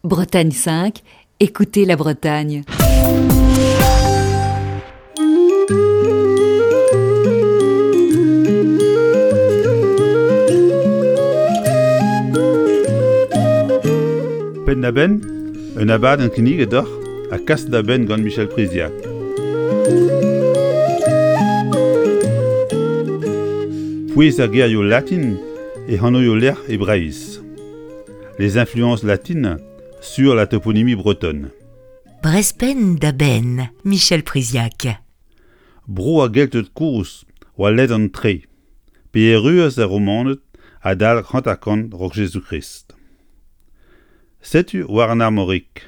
Bretagne 5, écoutez la Bretagne. Penn-da-benn, un abadenn kinniget deoc'h ha kas da benn gant Michel Priziac. Pouez ar gerioù latin e anvioù-lec'h e Breizh. Les influences latines sur la toponymie bretonne. Brezpenn da benn, Michel Priziac. Bro ar Gelted kozh oa ledan-tre, pe erruas ar Romaned adalek 50 raok Jezuz-Krist. Setu war an Armorik.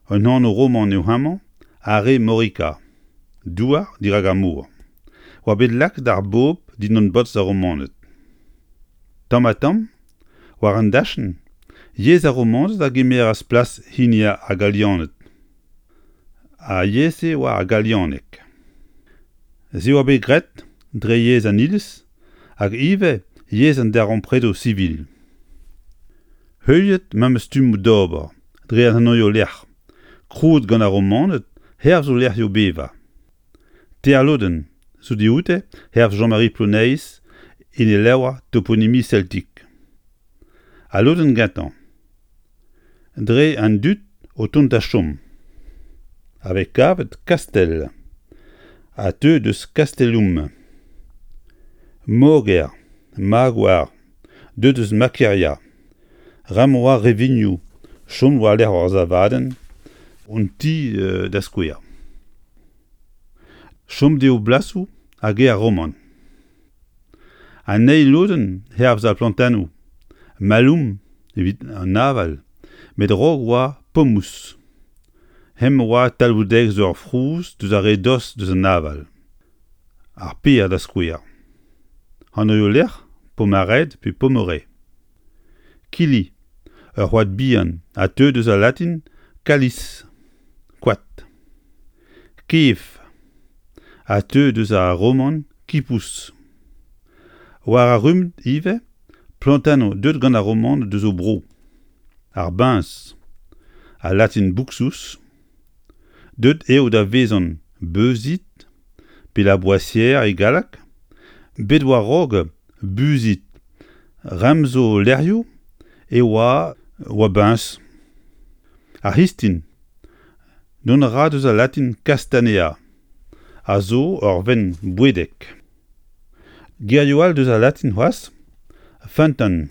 Un anv roman eo hemañ, Are Morica, douar dirak ar mor, oa bet lakaet ar bobl dindan bolz ar Romaned. Tamm-ha-tamm War an dachenn, yezh ar Romaned a gemeras plas hini ar Galianed. Ar yezh-se oa ar galianeg. Se oa bet graet dre yezh an Iliz hag ivez yezh an darempredoù sivil. Heuliet memes stummoù d'ober dre an anvioù-lec'h krouet gant ar Romaned hervez o lec'hioù bevañ. Teir lodenn zo dioute hervez Jean-Marie Ploneis en e levr Toponymie celtique. Al lodenn gentañ, dre an dud o tont da chom, a vez kavet Kastell a teu deus Castellum, Moger, Magoar, deuet eus Makeria, Ram oa rivinoù chom war-lerc'h ur savadenn, un ti da skouer. Chom dezho blasoù hag aer roman. An eil lodenn hervez ar plantennoù, maloum evit an aval, met a-raok oa pomous. Hemañ oa talvoudegezh ur frouz deus ar re dost deus an aval. Ar per da skouer. Anvioù-lec'h Pomared pe Pommeray. Kili, ur c'hoad bihan a teu deus al latin calis, koad. Kev, a teu deus ar roman kipous. War ar rummad ivez, plantennoù deuet gant ar Romaned deus o bro. Ar biñs, al latin buxus, Deuet eo da vezañ Beuzid pe La Boissière e galleg, bet war-raok Buzid remz o lec'hioù e oa oa biñs. Ar c'histin, dont a ra deus al latin castanea, a zo ur vent bouedek. Gerioù all deus al latin c'hoazh, feunteun.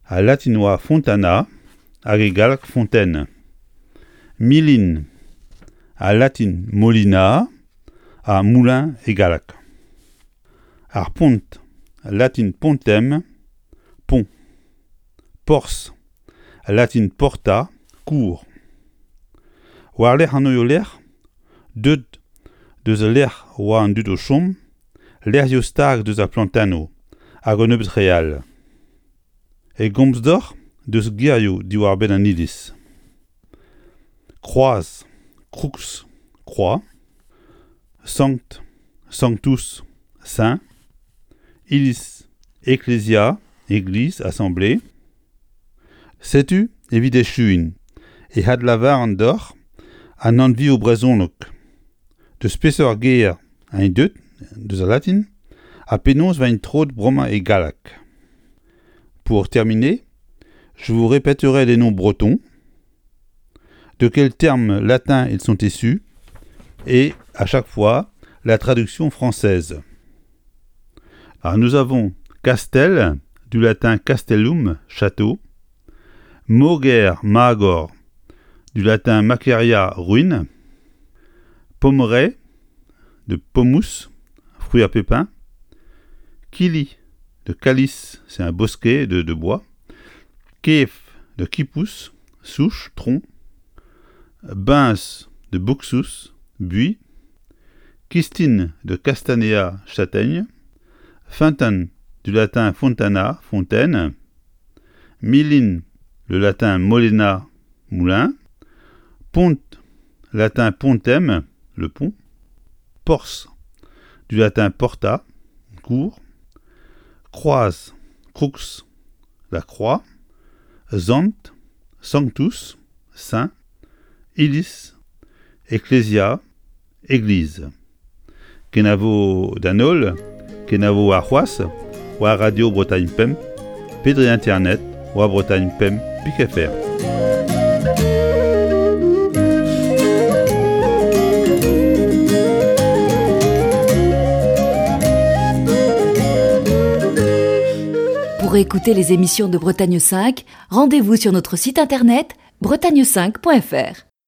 Al latin oa fontana hag e galleg fontaine. Milin, al latin molina ha moulin e galleg. Ar pont, latin pontem, pont. Porzh, latin porta, kour. War-lerc'h an lec'h, deuet deus al lec'h oa an dud o chom, lec'hioù stag deus ar plantennoù hag un nebeud re all. E gomz deoc'h deus gerioù diwar-benn an iliz. Kroaz, crux, croix, sankt, sanctus, saint, iliz, ecclesia, église, assemblée. Setu, evit echuiñ, e adlavaran deoc'h an anvioù brezhonek. Deus peseurt ger eñ deuet, deus al latin, ha penaos 'vaint troet bremañ e galleg. Pour terminer, je vous répéterai les noms bretons, de quel terme latin ils sont issus, et à chaque fois la traduction française. Alors nous avons Castel, du latin castellum, château, Moger, Magor, du latin maceria, ruine, Pommeraye, de pomous, fruit à pépins, Kili, de calice, c'est un bosquet de, de bois, Kef, de kipous, souche, tronc, Bins, de buxus, buis, Kistine, de castanea, châtaigne, Feunteun, du latin fontana, fontaine, Milin, le latin molena, moulin, Pont, latin pontem, le pont, Porzh, du latin porta, cour, Kroaz, crux, la croix, Sant, Sanctus, saint, iliz, ecclesia, église. Kenavo d'an holl, kenavo warc'hoazh war Radio Bretagne Pemp pe dre internet war Bretagne Pemp pik fr. Pour écouter les émissions de Bretagne 5, rendez-vous sur notre site internet bretagne5.fr.